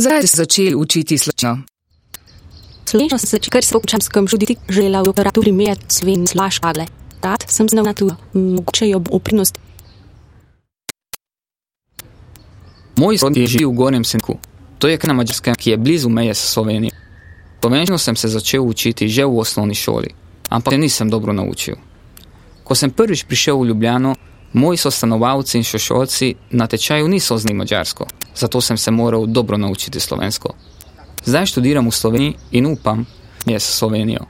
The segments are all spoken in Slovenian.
Zdaj se začeli učiti slovenščino. Slovenščino sem se kar svokčanskem študiti želela v operaturi med Sven Slaškagle. Rad sem znal na tu, mogoče jo oprinost. Moj sorodnik živi v Gornjem Senku. To je na Mađarskem, ki je blizu meje s Slovenijo. Slovenščino sem se začel učiti že v osnovni šoli, ampak se nisem dobro naučil. Ko sem prvič prišel v Ljubljano, moji sostanovalci in sošolci na tečaju niso znali mađarsko, zato sem se moral dobro naučiti slovensko. Zdaj študiram v Sloveniji in upam, da je s Slovenijo.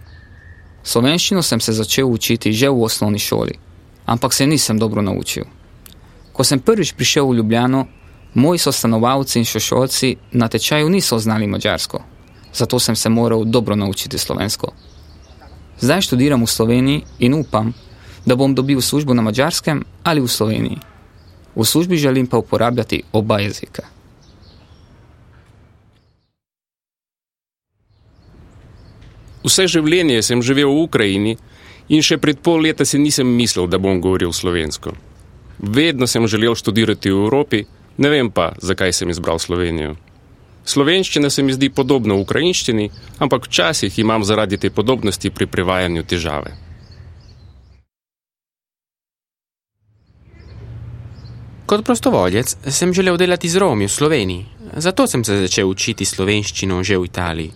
Slovenščino sem se začel učiti že v osnovni šoli, ampak se nisem dobro naučil. Ko sem prvič prišel v Ljubljano, moji sostanovalci in sošolci na tečaju niso znali mađarsko, zato sem se moral dobro naučiti slovensko. Zdaj študiram v Sloveniji in upam, da bom dobil službo na Mađarskem ali v Sloveniji. V službi želim pa uporabljati oba jezika. Vse življenje sem živel v Ukrajini in še pred pol leta si nisem mislil, da bom govoril slovensko. Vedno sem želel študirati v Evropi, ne vem pa, zakaj sem izbral Slovenijo. Slovenščina se mi zdi podobna ukrajinščini, ampak včasih imam zaradi te podobnosti pri prevajanju težave. Kot prostovoljec sem želel delati z Romi v Sloveniji, zato sem se začel učiti slovenščino že v Italiji.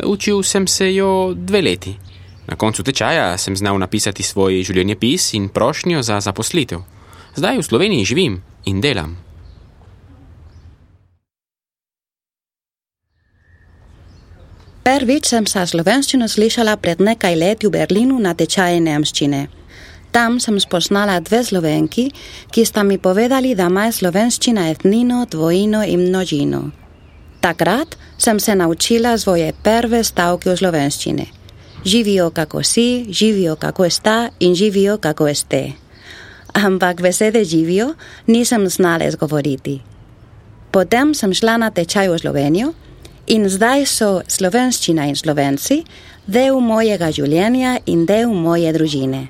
Učil sem se jo 2 leti. Na koncu tečaja sem znal napisati svoj življenjepis in prošnjo za zaposlitev. Zdaj v Sloveniji živim in delam. Prvič sem sa slovenščino slišala pred nekaj leti v Berlinu na tečaje nemščine. Tam sem spoznala 2 Slovenki, ki sta mi povedali, da ima slovenščina etnino, dvojino in množino. Takrat sem se naučila svoje prve stavke v slovenščini. Živijo kako si, živijo kako sta in živijo kako ste. Ampak besede živijo nisem znala izgovoriti. Potem sem šla na tečaj v Slovenijo in zdaj so slovenščina in Slovenci del mojega življenja in del moje družine.